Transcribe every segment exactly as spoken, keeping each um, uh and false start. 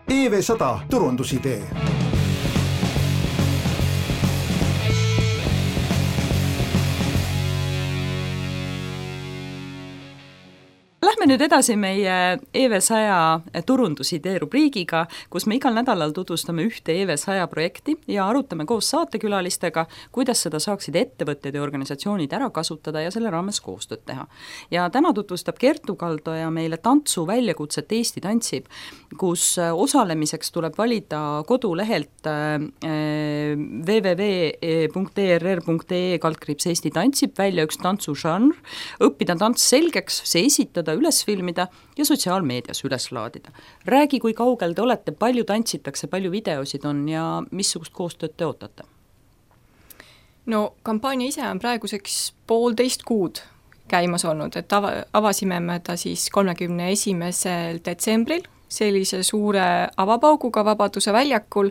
E V sada turundusidee. Lähme nüüd edasi meie E V sada turundusidee rubriigiga, kus me igal nädalal tutvustame ühte E V sada projekti ja arutame koos saatekülalistega, kuidas seda saaksid ettevõtted ja organisatsioonid ära kasutada ja selle raames koostööd teha. Ja täna tutvustab Kertu Kaldoja meile tantsu väljakutset Eesti tantsib, kus osalemiseks tuleb valida kodulehelt www punkt e r r punkt e e kaldkriips Eesti tantsib välja üks tantsužanr, õppida tants selgeks, see esitada, üles filmida ja sotsiaalmeedias üles laadida. Räägi, kui kaugel te olete, palju tantsitakse, palju videosid on ja missugust koostööd te ootate? No kampaania ise on praeguseks poolteist kuud käimas olnud, et ava, avasime me ta siis kolmekümne esimesel detsembril sellise suure avapauguga Vabaduse väljakul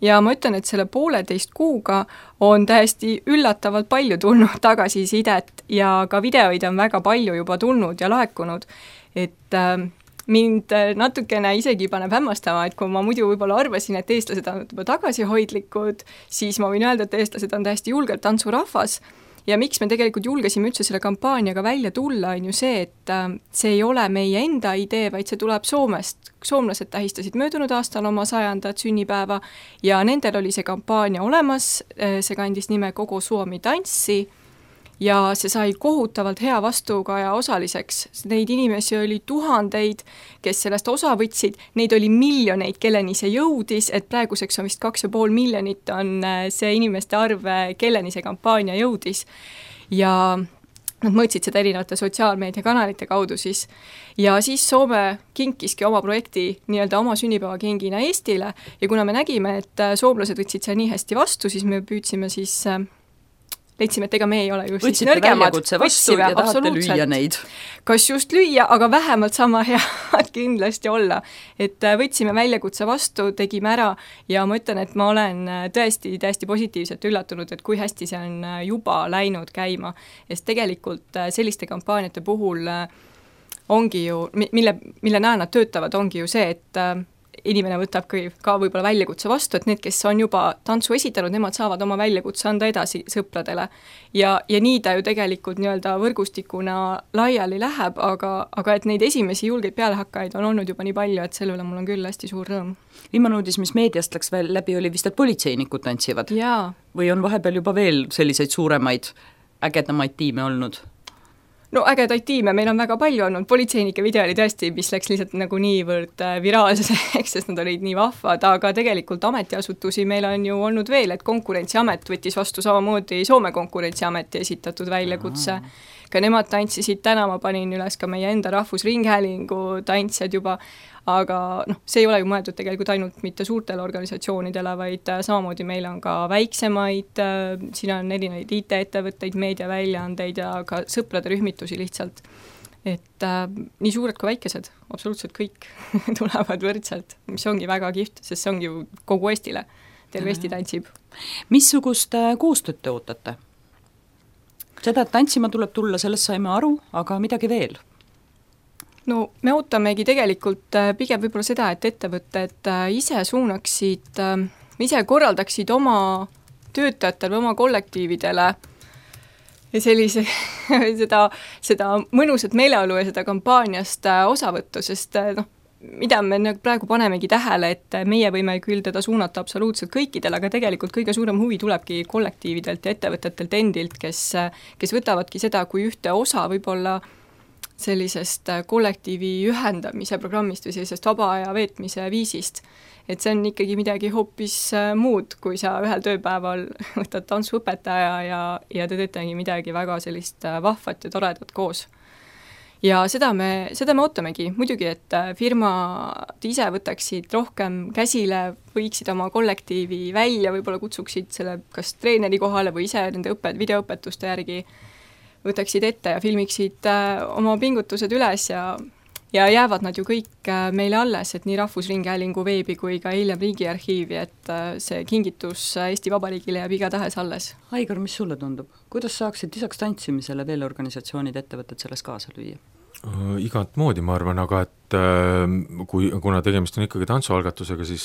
ja ma ütlen, et selle pooleteist kuuga on täiesti üllatavalt palju tulnud tagasisidet ja ka videoid on väga palju juba tulnud ja laekunud, et äh, mind natukene isegi paneb hämmastama, et kui ma muidu võib-olla arvasin, et eestlased on juba tagasihoidlikud, siis ma võin öelda, et eestlased on täiesti julgelt tantsurahvas. Ja miks me tegelikult julgesime üldse selle kampaaniaga välja tulla, on ju see, et see ei ole meie enda idee, vaid see tuleb Soomest. Soomlased tähistasid möödunud aastal oma sajandat sünnipäeva ja nendel oli see kampaania olemas, see kandis nime Kogu Suomi tanssi ja see sai kohutavalt hea vastukaja osaliseks. Neid inimesi oli tuhandeid, kes sellest osa võtsid, neid oli miljoneid, kelleni see jõudis, et praeguseks on vist kaks ja pool miljonit on see inimeste arv, kelleni see kampaania jõudis. Ja nad mõõtsid seda erinevate sotsiaalmeediakanalite kaudu siis. Ja siis Soome kinkiski oma projekti nii-öelda oma sünnipäevakingina Eestile ja kuna me nägime, et soomlased võtsid seal nii hästi vastu, siis me püüdsime siis leidsime, et ega me ei ole just võtsite siis nõrgemad. Võtsite vastu ja tahate lüüa neid. Kas just lüüa, aga vähemalt sama head kindlasti olla. Et võtsime väljakutse vastu, tegime ära ja ma ütlen, et ma olen tõesti täiesti positiivselt üllatunud, et kui hästi see on juba läinud käima. Sest tegelikult selliste kampaaniate puhul ongi ju, mille, mille näe nad töötavad, ongi ju see, et inimene võtab ka võib-olla väljakutse vastu, et need, kes on juba tantsu esitanud, nemad saavad oma väljakutse anda edasi sõpradele. Ja, ja nii ta ju tegelikult nii-öelda võrgustikuna laiali läheb, aga, aga et neid esimesi julgeid pealehakkajaid on olnud juba nii palju, et selle üle mul on küll hästi suur rõõm. Viimane uudis, mis meediast läks veel läbi, oli vist, et politseinikud tantsivad. Jaa. Või on vahepeal juba veel selliseid suuremaid ägedamaid tiime olnud? No ägedaid tiime, meil on väga palju olnud, politseinike video oli tõesti, mis läks lihtsalt nagu niivõrd viraalseks, sest nad olid nii vahvad, aga tegelikult ametiasutusi meil on ju olnud veel, et konkurentsiamet võttis vastu samamoodi Soome konkurentsiameti esitatud väljakutse. Ka nemad tantsisid täna, ma panin üles ka meie enda rahvusringhäälingu tantsijad juba, aga noh, see ei ole ju mõeldud tegelikult ainult mitte suurtele organisatsioonidele, vaid samamoodi meil on ka väiksemaid, siin on erinevaid I T-ettevõtteid, meediaväljaandeid ja ka sõprade rühmitusi lihtsalt. Et äh, nii suured kui väikesed, absoluutselt kõik tulevad võrdselt, mis ongi väga kihvt, sest see ongi ju kogu Eestile, terve Eesti tantsib. Missugust koostööd te ootate? Seda, et tantsima tuleb tulla, sellest saime aru, aga midagi veel? No me ootamegi tegelikult pigem võib-olla seda, et ettevõtted ise suunaksid, ise korraldaksid oma töötajatele või oma kollektiividele sellise, seda, seda mõnusat meeleolu ja seda kampaaniast osavõttu, sest noh, mida me praegu panemegi tähele, et meie võime küll teda suunata absoluutselt kõikidele, aga tegelikult kõige suurem huvi tulebki kollektiividelt ja ettevõtetelt endilt, kes, kes võtavadki seda kui ühte osa võib-olla sellisest kollektiivi ühendamise programmist või sellisest vaba aja veetmise viisist. Et see on ikkagi midagi hoopis muud, kui sa ühel tööpäeval võtad tantsuõpetaja ja, ja te teetegi midagi väga sellist vahvat ja toredat koos. Ja seda me, seda me ootamegi. Muidugi, et firmad ise võtaksid rohkem käsile, võiksid oma kollektiivi välja, võib-olla kutsuksid selle kas treeneri kohale või ise nende õpet, videoõpetuste järgi võtaksid ette ja filmiksid oma pingutused üles ja, ja jäävad nad ju kõik meile alles, et nii Rahvusringhäälingu veebi kui ka hiljem Riigiarhiivi, et see kingitus Eesti Vabariigile jääb igatahes alles. Aigar, mis sulle tundub? Kuidas saaksid lisaks tantsimisele veel organisatsioonid, ettevõtted selles kaasa lüüa? Igat moodi, ma arvan, aga et kui, kuna tegemist on ikkagi tantsualgatusega, siis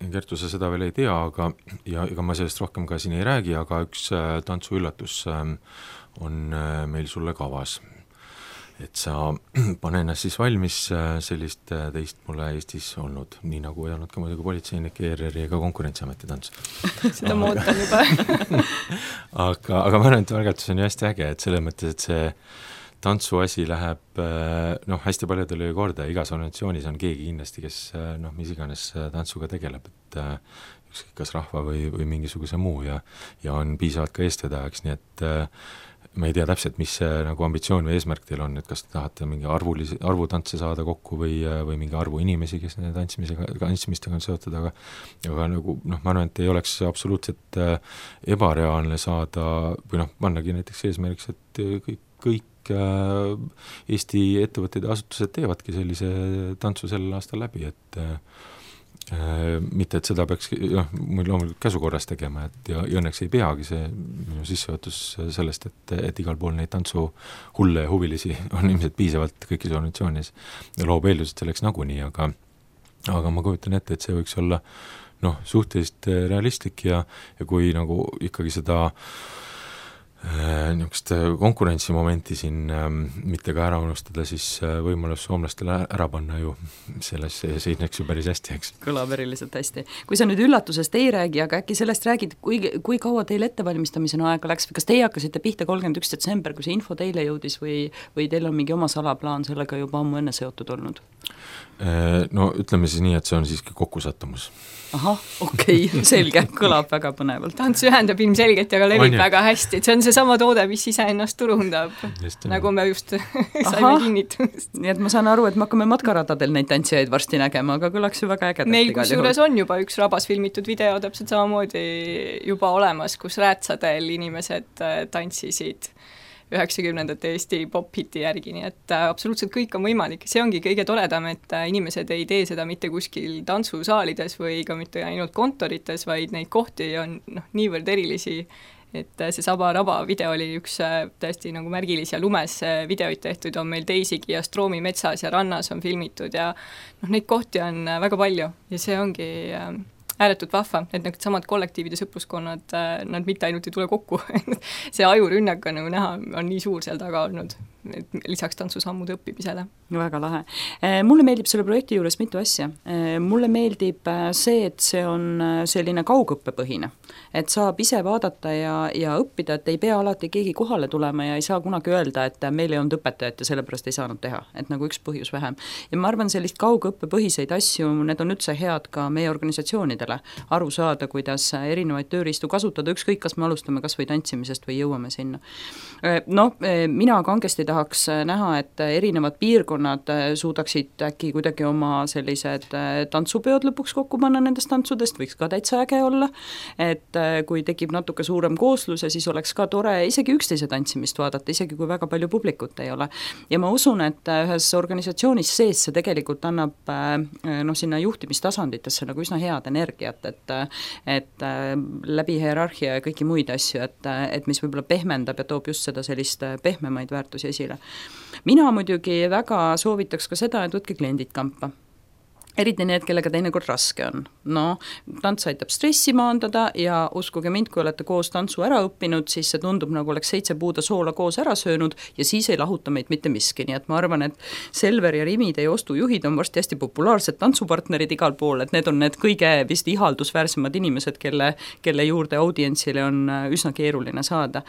Kertu, sa seda veel ei tea, aga ja ega ma sellest rohkem ka siin ei räägi, aga üks tantsuüllatus on meil sulle kavas. Et sa pane ennast siis valmis, sellist teist mulle Eestis olnud, nii nagu ei olnud ka muidugi politseinik, E R R-i ega Konkurentsiameti tants. Seda ma ootan juba. aga, aga ma arvan, et algatus on ju hästi äge, et selles mõttes, et see tantsuasi läheb noh, hästi paljudele korda, igas organisatsioonis on keegi kindlasti, kes noh, mis iganes tantsuga tegeleb, et ükskõik kas rahva või, või mingisuguse muu ja, ja on piisavalt ka eestvedajaks, nii et ma ei tea täpselt, mis see nagu ambitsioon või eesmärk teil on, et kas te tahate mingi arvulisi, arvutantse saada kokku või, või mingi arvu inimesi, kes nende tantsimisega, tantsimistega on seotud, aga aga nagu noh, ma arvan, et ei oleks absoluutselt ebareaalne saada või noh, pannagi näiteks eesmärgiks, et kõik, kõik Eesti ettevõtted ja asutused teevadki sellise tantsu sellel aastal läbi, et äh, mitte, et seda peaks jah, loomulikult käsukorras tegema, et ja, ja õnneks ei peagi see minu sissejuhatus sellest, et, et igal pool neid tantsu hulle ja huvilisi on ilmselt piisavalt kõikis organisatsioonis ja loob eeldused selleks nagunii, aga aga ma kujutan ette, et see võiks olla noh, suhteliselt realistlik ja, ja kui nagu ikkagi seda niisugust konkurentsimomenti siin mitte ka ära unustada, siis võimalus soomlastele ära panna ju selles seisneks ju päris hästi, eks. Kõlab eriliselt hästi. Kui sa nüüd üllatusest ei räägi, aga äkki sellest räägid, kui, kui kaua teil ettevalmistamisena aega läks, kas teie hakkasite pihta kolmkümmend üks detsember, kui see info teile jõudis või, või teil on mingi oma salaplaan sellega juba ammu enne seotud olnud? No ütleme siis nii, et see on siiski kokkusattumus. Ahah, okei, okay, selge, kõlab väga põnevalt. Tants ühendab ilmselgelt ja ka levib väga hästi, et see on see sama toode, mis ise ennast turundab, just, nagu me just saime kinnitumist. Nii et ma saan aru, et me hakkame matkaradadel neid tantsijaid varsti nägema, aga kõlaks ju väga ägedalt. Meil kusjuures on juba üks rabas filmitud video täpselt samamoodi juba olemas, kus räätsadel inimesed tantsisid üheksakümnendate Eesti pop-hiti järgi, nii et absoluutselt kõik on võimalik. See ongi kõige toredam, et inimesed ei tee seda mitte kuskil tantsusaalides või ka mitte ainult kontorites, vaid neid kohti on noh, niivõrd erilisi, et see Saba Raba video oli üks tõesti nagu märgilis ja lumes videoid tehtud, on meil teisigi ja Stroomi metsas ja rannas on filmitud ja noh, neid kohti on väga palju ja see ongi ääretult vahva, et need samad kollektiivide sõpruskonnad, nad mitte ainult ei tule kokku, see ajurünnak on nagu näha, on nii suur seal taga olnud, et lisaks tantsusammude õppimisele. Väga lahe. Mulle meeldib selle projekti juures mitu asja. Mulle meeldib see, et see on selline kaugõppepõhine, et saab ise vaadata ja, ja õppida, et ei pea alati keegi kohale tulema ja ei saa kunagi öelda, et meil ei olnud õpetajat ja sellepärast ei saanud teha, et nagu üks põhjus vähem. Ja ma arvan, sellist kaugõppepõhiseid asju, need on üldse head ka meie organisatsioonidele aru saada, kuidas erinevaid tööriistu kasutada, ükskõik kas me alustame kas või tantsimisest või jõuame sinna. No, mina kangesti tahaks näha, et erinevad piirkonnad suudaksid äkki kuidagi oma sellised tantsupeod lõpuks kokku panna nendest tantsudest, võiks ka täitsa äge olla, et kui tekib natuke suurem kooslus ja siis oleks ka tore isegi üksteise tantsimist vaadata, isegi kui väga palju publikut ei ole. Ja ma usun, et ühes organisatsioonis sees see tegelikult annab no, sinna juhtimistasanditesse nagu üsna head energia, et, et läbi hierarhia ja kõiki muid asju, et, et mis võib-olla pehmendab ja toob just seda sellist pehmemaid väärtusi esile. Mina muidugi väga soovitaks ka seda, et võtke kliendid kampa. Eriti need, kellega teinekord raske on. No, tants aitab stressi maandada ja uskuge mind, kui olete koos tantsu ära õppinud, siis see tundub nagu oleks seitse puuda soola koos ära söönud ja siis ei lahuta meid mitte miski. Nii et ma arvan, et Selver ja Rimi, teie ostujuhid on varsti hästi populaarsed tantsupartnerid igal pool, et need on need kõige vist ihaldusväärsemad inimesed, kelle, kelle juurde audientsile on üsna keeruline saada.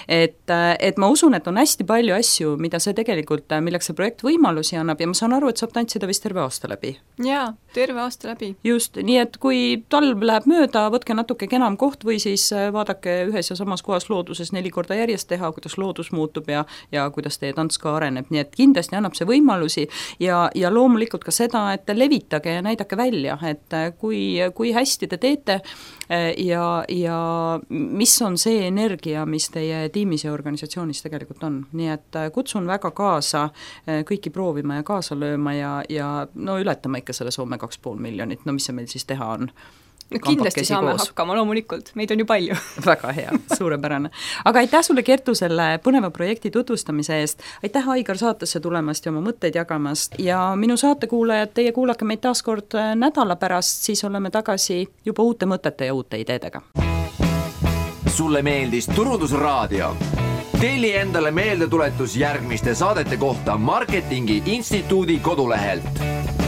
Et, et ma usun, et on hästi palju asju, mida see tegelikult, milleks see projekt võimalusi annab ja ma saan aru, et saab tantsida vist terve aasta läbi. Jaa, terve aasta läbi. Just, nii et kui talv läheb mööda, võtke natuke kenam koht või siis vaadake ühes ja samas kohas looduses neli korda järjest teha, kuidas loodus muutub ja, ja kuidas teie tants ka areneb, nii et kindlasti annab see võimalusi ja, ja loomulikult ka seda, et levitage ja näidake välja, et kui, kui hästi te teete ja, ja mis on see energia, mis teie tiimis ja organisatsioonis tegelikult on, nii et kutsun väga kaasa kõiki proovima ja kaasa lööma ja, ja no ületame ikka selle Soome kaks pool miljonit, no mis see meil siis teha on. no kindlasti saame koos. hakkama, loomulikult, meid on ju palju. Väga hea, suurepärane. Aga aitäh sulle, Kertu, selle põneva projekti tutvustamise eest, aitäh, Aigar, saatesse tulemast ja oma mõtteid jagamast ja minu saatekuulajad, teie kuulake meid taas kord nädala pärast, siis oleme tagasi juba uute mõtete ja uute ideedega. Sulle meeldis Turundusraadio? Telli endale meeldetuletus järgmiste saadete kohta Marketingi Instituudi kodulehelt.